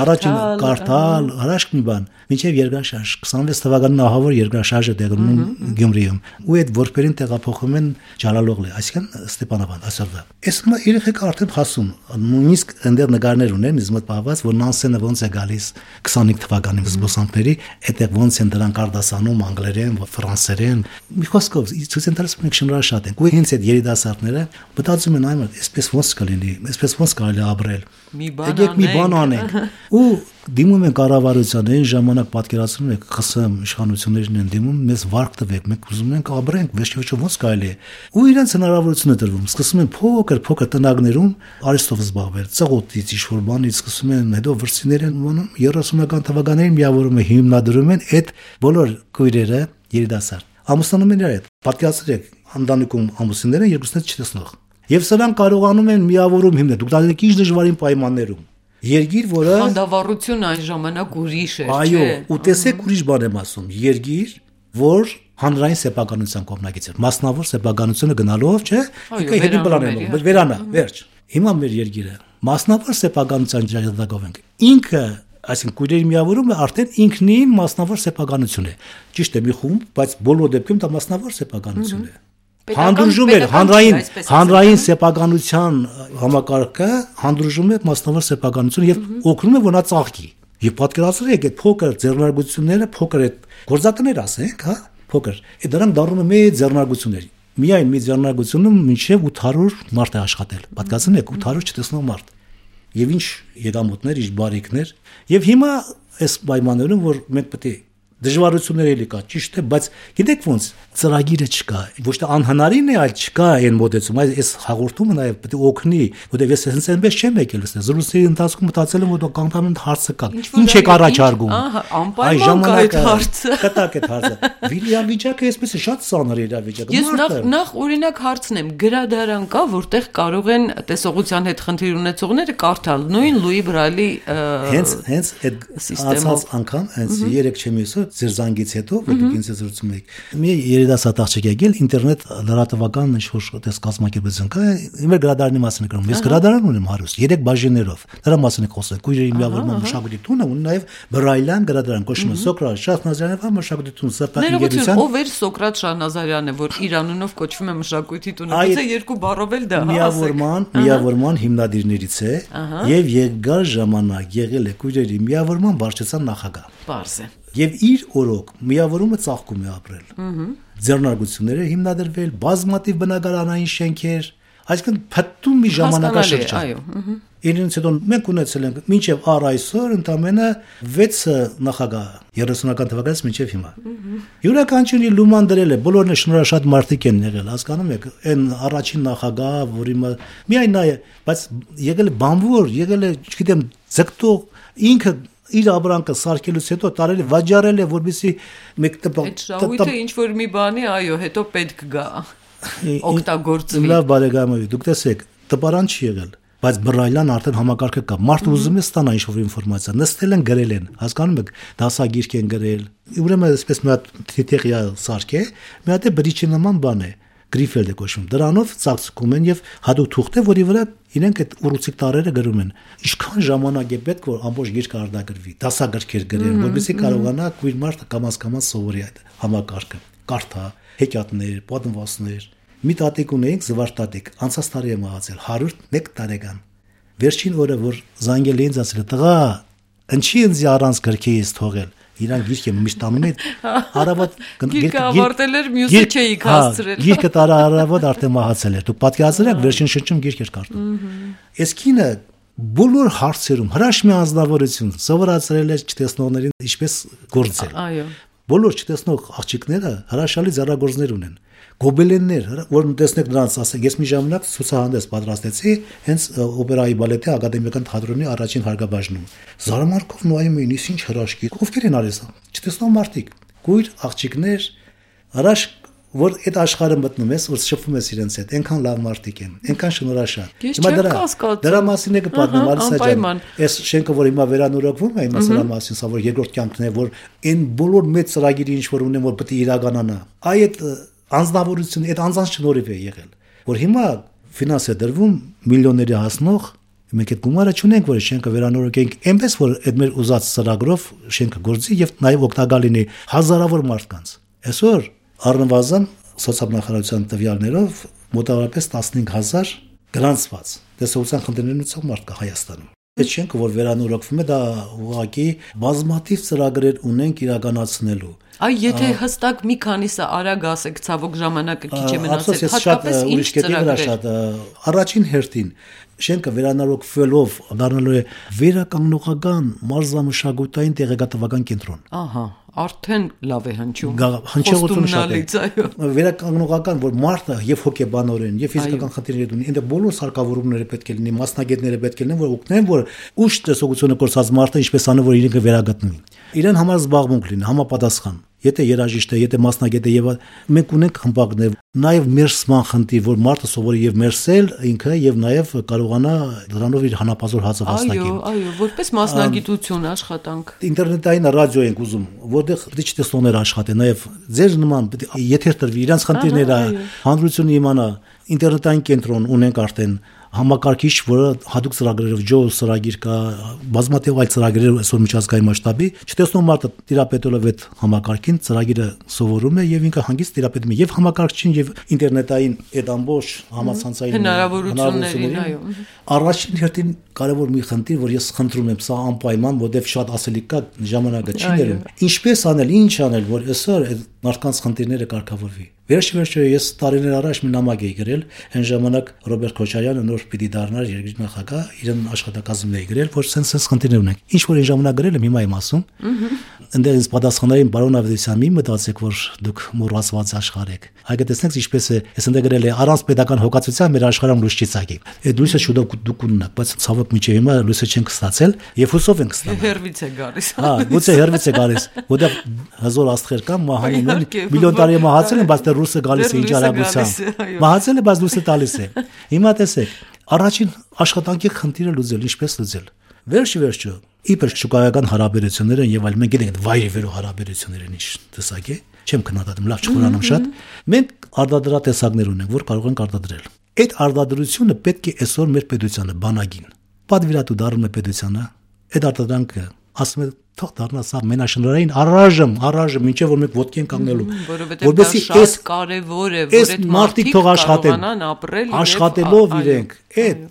առաջին կարդալ, հրաշք մի բան, մինչեւ երկրաշարժ, քսանվեց թվականին ահավոր երկրաշարժը տեղնում Գյումրիում, ու այդ որբերին տեղափոխում են Ջալալօղլի, այսինքն Ստեփանավան, այսօրվա։ Այս հիմա երեխեքը արդեն հասում, նույնիսկ այնտեղ նկարներ ունեն, իզմոտ պահված, որ Նանսենը ոնց է գալիս քսանհինգ թվականին զբոսանքների այդտեղ ոնց են դրանք արդասանում անգլերեն, ֆրանսերեն։ Մի խոսքով ցույց են տալիս մենք շնորհ շատ ենք։ Ու հենց այդ երիտասարդները մտածում են այն, այսպես ոնց կլինի, այսպես ոնց կարելի ապրել։ Մի բան անենք։ Մի բան անենք։ Ու դիմում են կառավարության այն ժամանակ պատկերացնում եք ԽՍՀՄ իշխանություններն են դիմում մեզ վարկ տվեք մենք ուզում ենք ապրենք վերջիվերջո ոնց կարելի է ու իրենց հնարավորություն է տրվում սկսում են փոքր փոքր տնագներում արիստով զբաղվել ծղոտից ինչ-որ բանից սկսում են հետո վրցիներ են մոնում երեսունական թվականներին միավորում են հիմնադրում են այդ բոլոր քույրերը երիտասարդ ամուսնանում են իրար հետ պատկերացրեք ընտանիքում ամուսինները երկուսն էլ չտեսնող եւ սրանք կարողանում են միավորում հիմնել դուք դատեք ինչ դժվարին պայմաններում Երգիր, որը խանդավառություն այն ժամանակ ուրիշ էր, չէ՞։ Այո, ու տեսեք ուրիշ բան եմ ասում, երգիր, որ հանրային սեփականության կողմնակից էր, մասնավոր սեփականությունը գնալով, չէ՞, ինքը հետին պլանելով, վերանա, վերջ։ Հիմա մեր երգիրը մասնավոր սեփականության ճակատագրով ենք։ Ինքը, այսինքն քույրերի միավորումը արդեն ինքնին մասնավոր սեփականություն է։ Ճիշտ է, մի խումբ, բայց բոլոր դեպքում դա մասնավոր սեփականություն է։ Հանդուրժում է հանրային հանրային սեփականության համակարգը հանդուրժում է մասնավոր սեփականություն եւ օգնում է որ նա ծաղկի եւ պատկերացրեք այդ փոքր ձեռնարկությունները փոքր այդ գործակներ ասենք հա փոքր այդ դրանք դառնում են մեծ ձեռնարկություններ միայն մի ձեռնարկությունում մինչեւ ութ հարյուր մարդ է աշխատել պատկերացնեք ութ հարյուր չտեսնող մարդ եւ ինչ եկամուտներ ինչ բարիկներ եւ հիմա այս պայմաններում որ մենք պետք է դժվարություններ էլի կա, ճիշտ է, բայց գիտեք ոնց ծրագիրը չկա, ոչ թե անհնարին է, այլ չկա այն մոտեցում, այս այս հաղորդումը նաև պետք է օգնի, որտեղ ես հենց այնպես չեմ եկել լսել, զրույցի ընթացքում մտածել եմ, որ կանտամեն հարցը կա, ինչ եք առաջարկում։ Ահա, անպայման կա այդ հարցը։ Կտակ այդ հարցը։ Վիլյամվիճակը այսպես է շատ ծանր իրավիճակ։ Ես նախ նախ օրինակ հարցնեմ, գրադարան կա, որտեղ կարող են տեսողության հետ խնդիր ունեցողները կարդալ նույն Լուի Բրալի հենց հենց այդ ասած անգամ հենց երեք չեմ եսել ձեր զանգից հետո որ դուք ինձ զրուցում եք մի երիտասարդ աղջիկ եկել ինտերնետ լրատվական ինչ-որ տես կազմակերպություն կա իմ գրադարանի մասին է գրում ես գրադարան ունեմ հարուստ երեք բաժիններով դրա մասին է խոսել քույրերի միավորման մշակույթի տունը ու նաև Բրայլյան գրադարան կոչվում է Սոկրատ Շահնազարյանը մշակույթի տուն սրտակիցության ով էր Սոկրատ Շահնազարյանը որ իր անունով կոչվում է մշակույթի տունը գուցե երկու բառով էլ դա միավորման միավորման հիմնադիրներից է եւ երկար ժամանակ եղել է քույրերի միավորման վարչության նախագահ Պարզ է Եվ իր օրոք միավորումը ծաղկում է ապրել։ Ձեռնարկությունները հիմնադրվել, բազմաթիվ բնակարանային շենքեր, այսինքն փտտում մի ժամանակաշրջան։ Այո։ Իրենց հետո մենք ունեցել ենք մինչև առ այսօր ընդամենը վեց նախագահ երեսունական թվականից մինչև հիմա։ Յուրաքանչյուրի լուման դրել է, բոլորն է շնորհաշատ մարդիկ են եղել, հասկանում եք, այն առաջին նախագահ, որի միայն նա է, բայց եղել է բանվոր, եղել է, չգիտեմ, ձգտող, ինքը իր ապրանքը սարքելուց հետո տարել է վաճառել է որպեսզի մեկ այդ շահույթը ինչ որ մի բանի այո հետո պետք գա օգտագործվի լավ բարեկամներ դուք տեսեք տպարան չի եղել բայց Բրայլյան արդեն համակարգը կա մարդը ուզում է ստանա ինչ որ ինֆորմացիա նստել են գրել են հասկանում եք դասագիրք են գրել ուրեմն այսպես մի հատ թիթեղյա սարք է մի հատ է բրիչի նման բան է գրիֆել է կոչվում դրանով ծածկում են եւ հատուկ թուղթ է որի վրա իրենք այդ ուռուցիկ տարերը գրում են ինչքան ժամանակ է պետք որ ամբողջ գիրքը արտագրվի դասագրքեր գրեն որովհետեւ կարողանա քույր մարդը կամաց-կամաց սովորի այդ համակարգը կարդա հեքիաթներ պատմվածքներ մի տատիկ ունեինք զվարթատիկ անցած տարի է մահացել հարյուր մեկ տարեկան վերջին օրը որ զանգել ինձ ասել տղա ինչի ինձ առանց գրքի ես թողել Իրան գիրքը միշտ անում է արավոտ գիրքը ավարտել էր մյուսը չէի հասցրել գիրքը տարա արավոտ արդեն մահացել էր դուք պատկերացրեք վերջին շրջում գիրք էր կարդում այս կինը բոլոր հարցերում հրաշքի անձնավորություն սովորացրել է չտեսնողներին ինչպես գործել այո բոլոր չտեսնող աղջիկները հրաշալի ձեռագործներ ունեն գոբելեններ որ տեսնեք նրանց ասեք ես մի ժամանակ ցուցահանդես պատրաստեցի հենց օպերայի բալետի ակադեմիական թատրոնի առաջին հարգաբաժնում զարմարկով նայում էին ինչ հրաշքի ովքեր են արել չտեսնող մարդիկ գույր աղջիկներ հրաշք որ այդ աշխարհը մտնում ես որ շփվում ես իրենց հետ այնքան լավ մարդիկ են այնքան շնորհաշատ հիմա դրա դրա մասին է կպատմեմ Ալիսա ջան այս շենքը որ հիմա վերանորոգվում է հիմա սրա մասին սա որ երկրորդ կյանքն է որ այն բոլոր մեծ ծրագիրը ինչ որ ունեն որ պետք է իրականանա այդ անձնավորություն այդ անձանց շնորհիվ է եղել որ հիմա ֆինանս է դրվում միլիոնների հասնող մենք այդ գումարը չունենք որ շենքը վերանորոգենք այնպես որ այդ մեր ուզած ծրագրով շենքը գործի եւ նաեւ օգտակար լինի հազարավոր մարդկանց այսօր առնվազն սոցիալ-նախարարության տվյալներով մոտավորապես տասնհինգ հազար գրանցված տեսողության խնդիրներն ունեցող մարդ կա Հայաստանում այդ շենքը որ վերանորոգվում է դա ուղղակի բազմաթիվ ծրագրեր ունենք իրականացնելու Այ եթե հստակ մի քանիսը արագ ասեք ցավոք ժամանակը քիչ է մնացել հատկապես ինչ ծրագրեր առաջին հերթին շենքը վերանորոգվելով դառնալու է վերականգնողական մարզամշակութային տեղեկատվական կենտրոն։ Ահա, արդեն լավ է հնչում։ Հնչողությունը շատ է։ Վերականգնողական, որ մարդը եւ հոգեբանորեն, եւ ֆիզիկական խնդիրներ ունի, այնտեղ բոլոր սարքավորումները պետք է լինի, մասնագետները պետք է լինեն, որ օգնեն, որ ուշ տեսողությունը կորցած մարդը ինչպես անը որ իրենքը վերագտնվի։ Իրեն համար զբաղմունք լինի, համապատասխան։ Եթե երաժիշտ է, եթե մասնագետ է, եւ մենք ունենք խմբակներ, նաեւ մերսման խնդիր, որ մարդը սովորի եւ մերսել ինքը եւ նաեւ կարողանա դրանով իր հանապազոր հացը վաստակել։ Այո, այո, որպես մասնագիտություն աշխատանք։ Ինտերնետային ռադիո ենք ուզում, որտեղ դիջիտալներ աշխատեն, նաեւ ձեր նման եթե տրվի իրանց խնդիրները հանրությունը իմանա, ինտերնետային կենտրոն ունենք արդեն համակարգիչ, որը հատուկ ծրագրերով ջո ծրագիր կա, բազմաթիվ այլ ծրագրեր այսօր միջազգային մասշտաբի, չտեսնող մարդը տիրապետելով այդ համակարգին ծրագիրը սովորում է եւ ինքը հանգիստ տիրապետում է եւ համակարգչին եւ ինտերնետային այդ ամբողջ համացանցային հնարավորություններին, այո։ Առաջին հերթին կարևոր մի խնդիր, որ ես խնդրում եմ, սա անպայման, որովհետեւ շատ ասելիք կա, ժամանակը չի ներում։ Ինչպես անել, ինչ անել, որ այսօր այդ մարդկանց խնդիրները կարգավորվի։ Վերջիվերջո ես տարիներ առաջ մի նամակ էի գրել, այն ժամանակ Ռոբերտ Քոչարյանը նոր պիտի դառնար երկրի նախագահ, իրեն աշխատակազմն էի գրել, որ sense խնդիրներ ունենք։ Ինչ որ այն ժամանակ գրել եմ, հիմա եմ ասում։ Այնտեղ ինձ պատասխանային բարոն Ավետիսյան, մի մտածեք, որ դուք մոռացված աշխարհ եք։ Այգե տեսնեք ինչպես է, ես այնտեղ գրել եմ առանց պետական հոգացության մեր աշխարհում լույս չի ցակի։ Այդ լույսը շուտով դուք ունենաք, բայց ցավոք միջև հիմա լույսը չենք ստացել եւ հուսով ենք ստանալ։ Հերվից է գալիս։ Հա, գուցե հերվից է գալիս, որտեղ հզոր աստղեր կան, մահանում են, միլիոն տարի մահացել են, բայց դեռ ռուսը գալիս է ինչ արագությամբ։ Մահացել է, բայց լույսը տալիս է։ Հիմա տեսեք, առաջին աշխատանքի խնդիրը լուծել, ինչպես լուծել։ Վերջի վերջո, իբր շուկայական հարաբերությունները եւ այլ մենք գիտենք վայրի վերո հարաբերությունները ինչ տեսակ է, չեմ քննադատում, լավ չխորանամ շատ։ Մենք արտադրատեսակներ ունենք, որ կարող ենք արտադրել։ Այդ արտադրությունը պետք է այսօր մեր պետությանը բանագին պատվիրատու դառնում է պետությանը, այդ արտադրանքը ասում է թող դառնա սա մենաշնորհային առայժմ, առայժմ ինչեւ որ մենք ոտքի ենք կանգնելու, որովհետեւ դա շատ կարեւոր է, որ այդ մարդիկ կարողանան ապրել աշխատելով իրենք այդ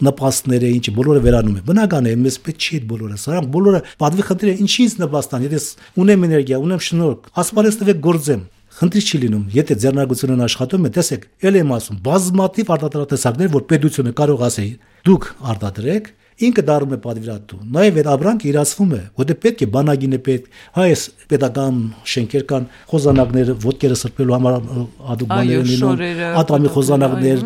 նպաստները ինչի բոլորը վերանում է։ Բնական է, մեզ պետք չի այդ բոլորը, սրանք բոլորը պատվի խնդիր է, ինչից նպաստան, եթե ունեմ էներգիա, ունեմ շնորհք, ասպարեզ տվեք գործեմ։ Խնդիր չի լինում, եթե ձեռնարկությունն աշխատում է, տեսեք, ել եմ ասում, բազմաթիվ արտադրատեսակներ, որ պետությունը կարող ասի, դուք արտադրեք, ինքը դառնում է պատվիրատու։ Նաև այդ ապրանքը իրացվում է, որտեղ պետք է բանագին է պետք, հայս պետական շենքեր կան, խոզանակներ, ոտքերը սրբելու համար հատուկ բաներ լինում, ատամի խոզանակներ,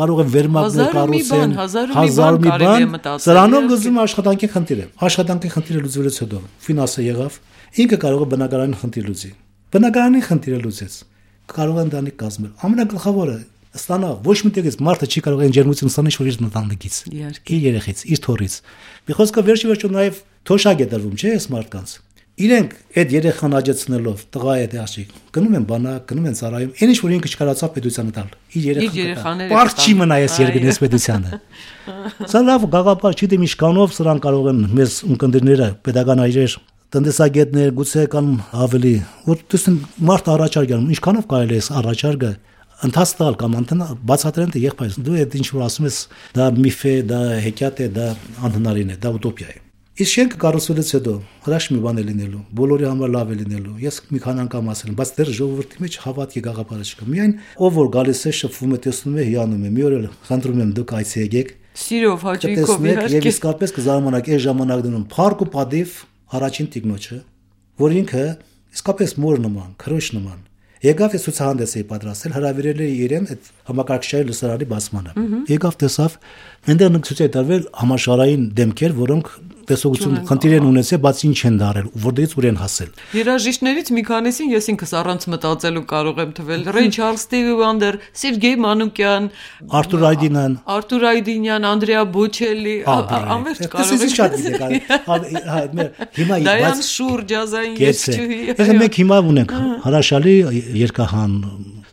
կարող են վերմակներ կառուցեն, հազար մի բան, սրանով լուծում աշխատանքի խնդիրը։ Աշխատանքի խնդիրը լուծվելուց հետո ֆինանսը եղավ, ինքը կարող է բնակարանային խնդիր լուծի։ Բնակարանի խնդիրը լուծեց, կարող են դանի կազմել։ Ամենագլխավորը ստանա ոչ միտեղից մարդը չի կարող այն ջերմություն ստանալ որ իր ընտանիքից, իր երեխից, իր թորից։ Մի խոսքը վերջի վերջո նաև թոշակ է դրվում, չէ՞, այս մարդկանց։ Իրենք այդ երեխան աջեցնելով, տղա է դե աշիկ, գնում են բանակ, գնում են ծառայում, այն ինչ որ ինքը չկարողացավ պետությանը տալ։ Իր երեխաները պարզ չի մնա այս երկրի պետությանը։ Սա լավ գաղափար չի, դե միշկանով սրան կարող են մեզ ունկնդիրները, pedagogan այրեր տնտեսագետներ, գուցե կան ավելի, որ տեսնեն մարդ առաջարկ անում, ինչքանով կարելի է առաջարկը ընթացտալ կամ անտնա բացատրեն թե եղբայր դու այդ ինչ որ ասում ես դա միֆ է, դա հեքիաթ է, դա անհնարին է, դա ուտոպիա է։ Իսկ շենքը կառուցվելուց հետո հրաշք մի բան է լինելու, բոլորի համար լավ է լինելու։ Ես մի քանի անգամ ասել եմ, բայց դեռ ժողովրդի մեջ հավատքի գաղափարը չկա։ Միայն ով որ գալիս է, շփվում է, տեսնում է, հիանում է։ Մի օր էլ խնդրում եմ դուք այցի եկեք։ Սիրով հաճույքով իհարկե։ Եվ իսկապես կզարմանաք այս ժամանակ դնում փառք ու падիվ առաջին տիկնոջը, որ ինքը իսկապես մոր նման, քրոջ նման եկավ է ցուցահանդես է պատրաստել, հրավիրել է իրեն այդ համակարգչային լսարանի բացմանը։ Եկավ տեսավ, այնտեղ ցույց է տալվել համաշխարհային դեմքեր, որոնք տեսողություն խնդիր են ունեցել, բայց ինչ են դարել, որտեղից ուր են հասել։ Երաժիշտներից մի քանիսին ես ինքս առանց մտածելու կարող եմ թվել։ Ռեյ Չարլզ, Ստիվի Վանդեր, Սերգեյ Մանուկյան, Արտուր Այդինյան, Արտուր Այդինյան, Անդրեա Բոչելի, անվերջ կարող եմ։ Շատ գիտեք, հիմա Դայան Շուր ջազային երգչուհի։ Ես մենք հիմա ունենք հրաշալի երգահան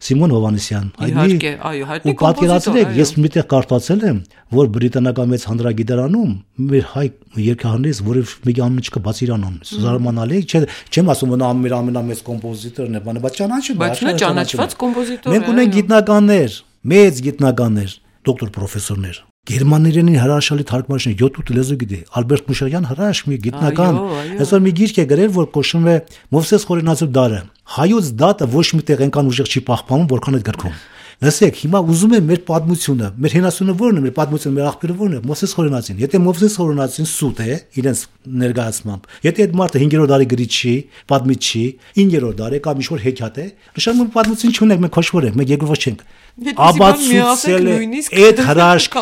Սիմոն Հովանեսյան, իհարկե, այո, հայտնի կոմպոզիտոր։ Ես միտեղ կարդացել եմ, որ բրիտանական մեծ հանրագիտարանում մեր հայ երգահաններից որևէ մեկի անունը չկա, բաց իր անունը։ Զարմանալի է, չեմ ասում որ մեր ամենամեծ կոմպոզիտորն է, բանը, բայց ճանաչում է, բայց նա ճանաչված կոմպոզիտոր է։ Մենք ունենք գիտնականներ, մեծ գիտնականներ, դոկտոր պրոֆեսորներ։ Գերմաներենի հրաշալի թարգմանիչ յոթ լեզու գիտի, Ալբերտ Մուշարյան հրաշ մի գիտնական, այսօր մի գիրք է գրել, որ կոչվում է Մովսես Խորենացու դարը։ Հայոց դատը ոչ մի տեղ այնքան ուժեղ չի պահպանում, որքան այդ գրքում։ Լսեք, հիմա ուզում եմ մեր պատմությունը, մեր հենասունը ո՞րն է, մեր պատմությունը, մեր աղբյուրը ո՞րն է, Մովսես Խորենացին։ Եթե Մովսես Խորենացին սուտ է իրենց ներկայացմամբ, եթե այդ մարդը հինգերորդ դարի գրիչ չի, պատմիչ չի, իններորդ դարի կամ ինչ-որ հեքիաթ է, նշանակում է պատմություն չունենք, մենք քոշվոր ենք, մենք երկրորդ չենք։ Աբացուցել է այդ հրաշք,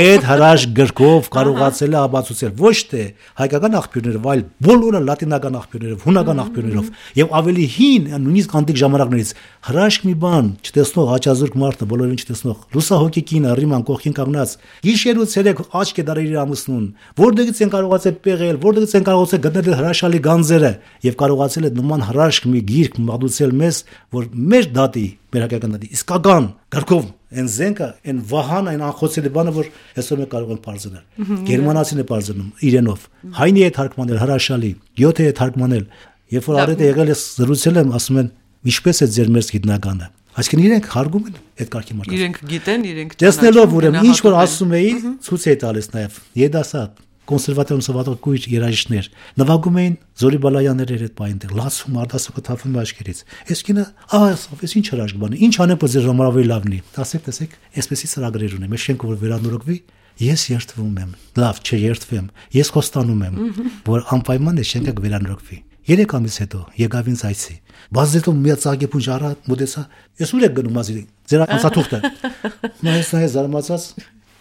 այդ հրաշք գրքով կարողացել է աբացուցել ոչ թե հայկական աղբյուրներով, այլ բոլորը լատինական աղբյուրներով, հունական աղբյուրներով եւ ավելի հին, նույնիսկ անտիկ ժամանակներից հրաշք մի բան չտեսնող աչազուրկ մարդը, բոլորին չտեսնող լուսահոգի կինը Ռիման կողքին կանգնած գիշեր ու ցերեկ աչք է դարել իր ամուսնուն, որտեղից են կարողացել պեղել, որտեղից են կարողացել գտնել հրաշալի գանձերը եւ կարողացել է նման հրաշք մի գիրք մատուցել մեզ, որ մեր դատի մեր հայկական դատի իսկական գրքով այն զենքը, այն վահան, այն անխոցելի բանը, որ այսօր մենք կարող ենք բարձրանալ։ Գերմանացին է բարձրանում իրենով։ Հայնի է թարգմանել հրաշալի, գյոթե է թարգմանել։ Երբ որ արետ է եղել է զրուցել եմ, ասում են ինչպես է ձեր մերձ գիտնականը։ Այսինքն իրենք հարգում են այդ կարգի մարդկանց։ Իրենք գիտեն, իրենք տեսնելով ուրեմն ինչ որ ասում էի, ցույց է տալիս նաև երիտասարդ կոնսերվատիվ սովետական երաժիշտներ նվագում էին Զորի Բալայանները այդ պայմաններ լացում արտասոկը թափում աչքերից այս կինը այս ինչ հրաշք բան է ինչ անեմ որ ձեր ժամանակի լավն է ասեք տեսեք այսպեսի ծրագրեր ունեմ ես շենք որ վերանորոգվի ես երթվում եմ լավ չէ երթվեմ ես խոստանում եմ որ անպայման է շենքը վերանորոգվի երեք ամիս հետո եկավ ինձ այցի բայց դե մի ծագեպուն ժարա մոդեսա ես ուր եք գնում ազի ձեր անցաթուղթը ես նայ զարմացած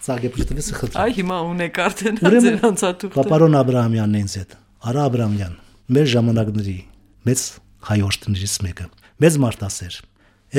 ծագեպուշտվես խնդրում այ հիմա ունեք արդեն ձեր անցաթուղթը Պապարոն Աբրահամյանն է ինձ հետ Արա Աբրահամյան մեր ժամանակների մեծ հայորդներից մեկը մեծ մարդասեր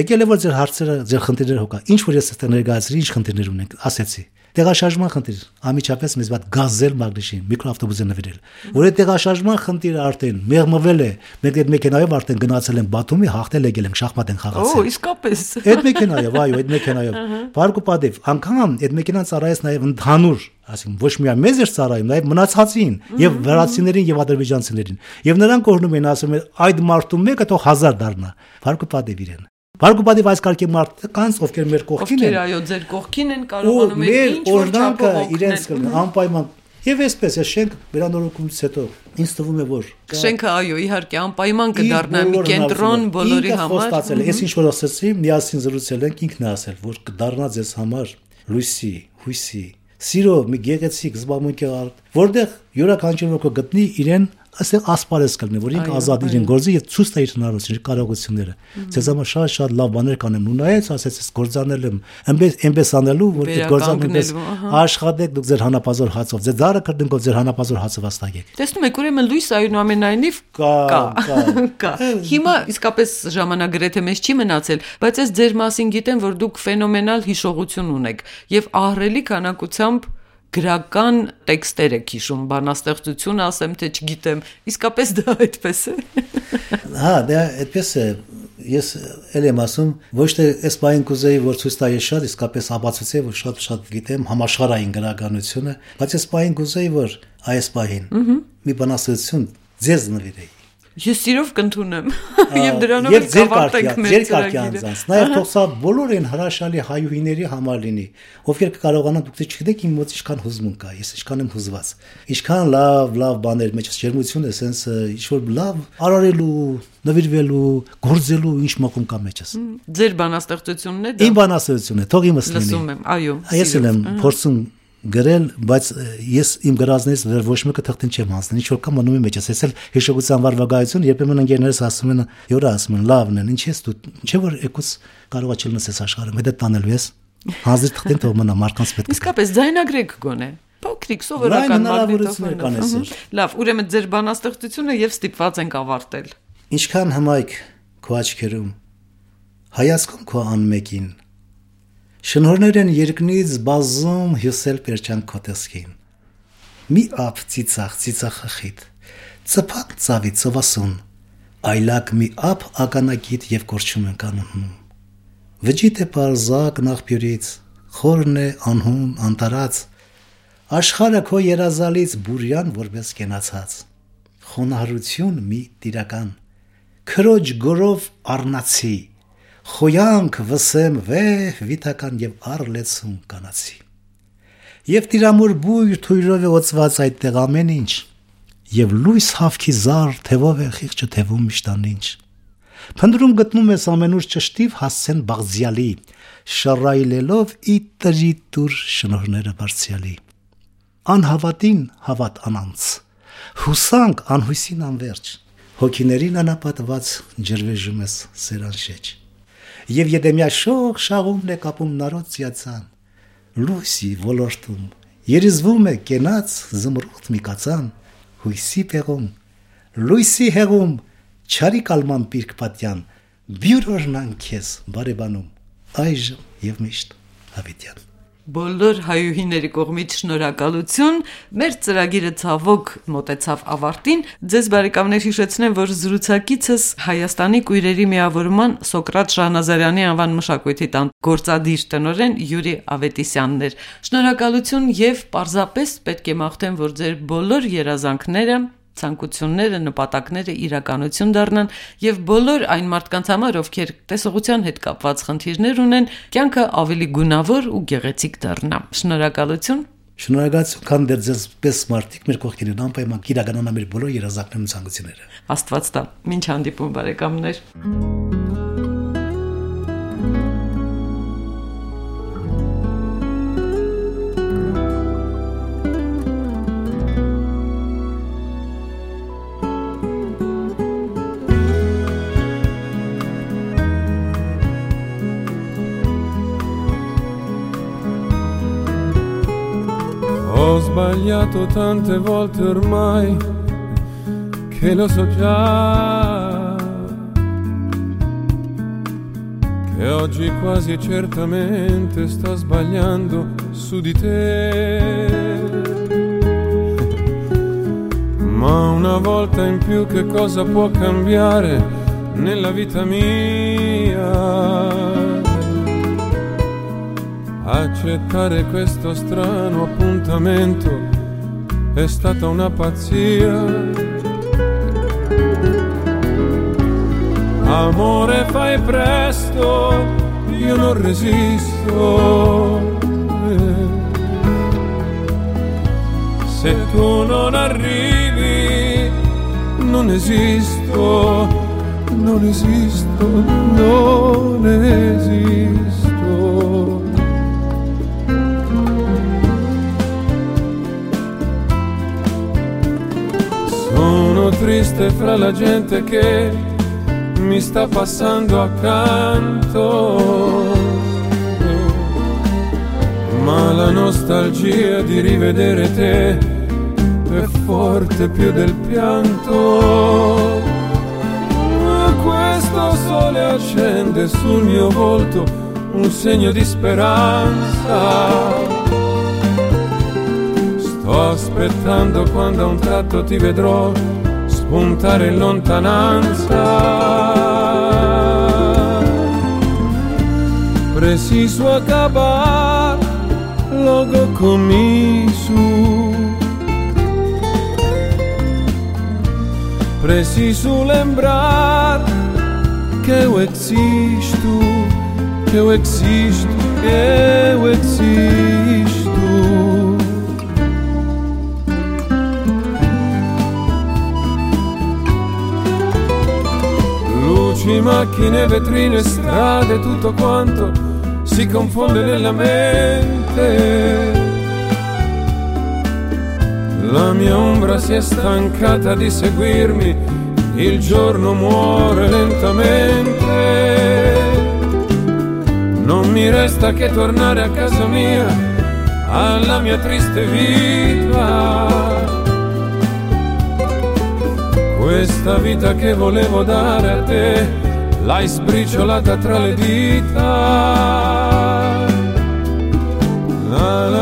եկել է որ ձեր հարցերը ձեր խնդիրները հոգա ինչ որ ես այստեղ ներկայացրի ինչ խնդիրներ ունենք ասեցի տեղաշարժման խնդիր ամիջապես մեզ վատ գազել մագնիշին միկրոավտոբուսը նվիրել որ այդ տեղաշարժման խնդիրը արդեն մեղմվել է մենք այդ մեքենայով արդեն գնացել ենք Բաթումի հաղթել եկել ենք շախմատ են խաղացել օ իսկապես այդ մեքենայով այո այդ մեքենայով բարգու պատիվ անգամ այդ մեքենան ծառայեց նաև ընդհանուր ասին ոչ միայն մեզ էր ծառայում նաև մնացածին եւ վրացիներին եւ ադրբեջանցիներին եւ նրանք օրնում են ասում են այդ մարդու մեկը թող հազար դառնա բարգու պատիվ իրեն Բարգուբադի այս կարգի մարդկանց ովքեր մեր կողքին են ովքեր այո ձեր կողքին են կարողանում են ինչ որ չափով իրենց կլինի անպայման եւ այսպես է շենք վերանորոգումից հետո ինձ թվում է որ շենքը այո իհարկե անպայման կդառնա մի կենտրոն բոլորի համար ես ինչ որ ասացի միասին զրուցել ենք ինքն է ասել որ կդառնա ձեզ համար լույսի հույսի սիրո մի գեղեցիկ զբաղմունքի որտեղ յուրաքանչյուր ոք գտնի իրեն ասել ասպարես կլինի որ ինք ազատ իրեն գործի եւ ցույց տա իր հնարավորությունները կարողությունները ցեզ համար շատ շատ լավ բաներ կանեմ ու նայեց ասեց ես գործանել եմ այնպես այնպես անելու որ այդ գործանելուց աշխատեք դուք ձեր հանապազոր հացով ձեր դարը կրտնքով ձեր հանապազոր հացով աստագեք տեսնում եք ուրեմն լույս այնուամենայնիվ կա կա հիմա իսկապես ժամանակ գրեթե մեզ չի մնացել բայց ես ձեր մասին գիտեմ որ դուք ֆենոմենալ հիշողություն ունեք եւ ահռելի քանակությամբ գրական տեքստեր եք հիշում, բանաստեղծություն ասեմ, թե չգիտեմ, իսկապես դա այդպես է։ Հա, դա այդպես է։ Ես էլ եմ ասում, ոչ թե այս բային կուզեի, որ ցույց տայի շատ, իսկապես ապացուցեի, որ շատ-շատ գիտեմ համաշխարհային գրականությունը, բայց այս բային կուզեի, որ այս բային մի բանաստեղծություն ձեզ նվիրեի։ Ես սիրով կընդունեմ եւ դրանով էլ կավարտենք մեր ծրագիրը։ Նաեւ թող սա բոլոր այն հրաշալի հայուհիների համար լինի, ովքեր կկարողանան դուք չգիտեք իմ մոտ ինչքան հուզմունք կա, ես ինչքան եմ հուզված։ Ինչքան լավ, լավ բաներ մեջ ջերմություն է, sense ինչ որ լավ արարելու, նվիրվելու, գործելու ինչ մոկում կա մեջս։ Ձեր բանաստեղծությունն է դա։ Իմ բանաստեղծությունն է, թող իմս լինի։ Լսում եմ, այո։ Ես եմ փորձում գրել, բայց ես իմ գրածներից դեռ ոչ մեկը թղթին չեմ հանձնել, ինչ որ կա մնում եմ մեջս, ես էլ հիշողության վարվագայություն, երբեմն ընկերներս ասում են, յորա ասում են, լավն են, ինչ ես դու, չէ որ եկուս կարողա չլնես աշխարհը, մեդը տանելու ես, հանձիր թղթին թող մնա մարդկանց պետք է։ Իսկապես ձայնագրեք գոնե։ Փոքրիկ սովորական մագնիտոֆոն։ Լավ, ուրեմն ձեր բանաստեղծությունը եւ ստիպված ենք ավարտել։ Ինչքան հմայք քո աչքերում, հայացքում քո անմեկին Շնորհներ են երկնից բազում հյուսել պերջան քո տեսքին։ Մի ապ ծիծաղ ծիծաղախիտ, ծփակ ծավի ծովասուն, այլակ մի ապ ականակիտ եւ կորչում են կանոնում։ Վճիտ է պարզակ նախբյուրից, խորն է անհուն անտարած, աշխարհը քո երազալից բուրյան որպես կենացած։ Խոնարհություն մի տիրական, քրոջ գորով առնացի Խոյանք վսեմ վեհ վիտական եւ առլեցում կանացի Եվ տիրամուր բույր թույրով է օծված այդտեղ ամեն ինչ Եվ լույս հավքի զար թևով է խիղճը թևում միշտ անինչ Փնդրում գտնում ես ամենուր ճշտիվ հասցեն բաղձյալի, շռայլելով ի տրի տուր շնորհները բարձյալի։ Անհավատին հավատ անանց, հուսանք անհույսին անվերջ, հոգիներին անապատված ջրվեժում ես սերանշեջ։ Եվ եդեմյա շող շաղումն է կապում նարոց յացան, լույսի ոլորտում, երիզվում է կենաց զմրուխտ մի կացան, հույսի պեղում, լույսի հեղում, չարի կալման պիրկ պատյան, բյուրորնան քեզ բարեբանում, այժմ և միշտ Հավիտյան։ Բոլոր հայուհիների կողմից շնորհակալություն, մեր ծրագիրը ցավոք մոտեցավ ավարտին, ձեզ բարեկամներ հիշեցնեմ, որ զրուցակիցս Հայաստանի կույրերի միավորման Սոկրատ Շահնազարյանի անվան մշակույթի տան գործադիր տնօրեն Յուրի Ավետիսյանն էր։ Շնորհակալություն եւ պարզապես պետք է մաղթեմ, որ ձեր բոլոր երազանքները, ցանկությունները, նպատակները իրականություն դառնան եւ բոլոր այն մարդկանց համար, ովքեր տեսողության հետ կապված խնդիրներ ունեն, կյանքը ավելի գունավոր ու գեղեցիկ դառնա։ Շնորհակալություն։ Շնորհակալություն, քան դեռ ձեզ պես մարդիկ մեր կողքին են անպայման իրականանան մեր բոլոր երազանքներն ու ցանկությունները։ Աստված տա։ Մինչ հանդիպում բարեկամներ։ Ho sbagliato tante volte ormai che lo so già che oggi quasi certamente sto sbagliando su di te. Ma una volta in più che cosa può cambiare nella vita mia? Accettare questo strano appuntamento è stata una pazzia. Amore, fai presto, io non resisto. Se tu non arrivi, non esisto, non esisto, non esisto. Sono triste fra la gente che mi sta passando accanto, ma la nostalgia di rivedere te è forte più del pianto. Questo sole accende sul mio volto un segno di speranza. Sto aspettando quando a un tratto ti vedrò spuntare in lontananza. Preciso acabar logo com isso. Preciso lembrar que eu existo, que eu existo, que eu existo. Luci, macchine, vetrine, strade, tutto quanto si confonde nella mente. La mia ombra si è stancata di seguirmi, il giorno muore lentamente. Non mi resta che tornare a casa mia, alla mia triste vita. Questa vita che volevo dare a te, l'hai sbriciolata tra le dita. La, la,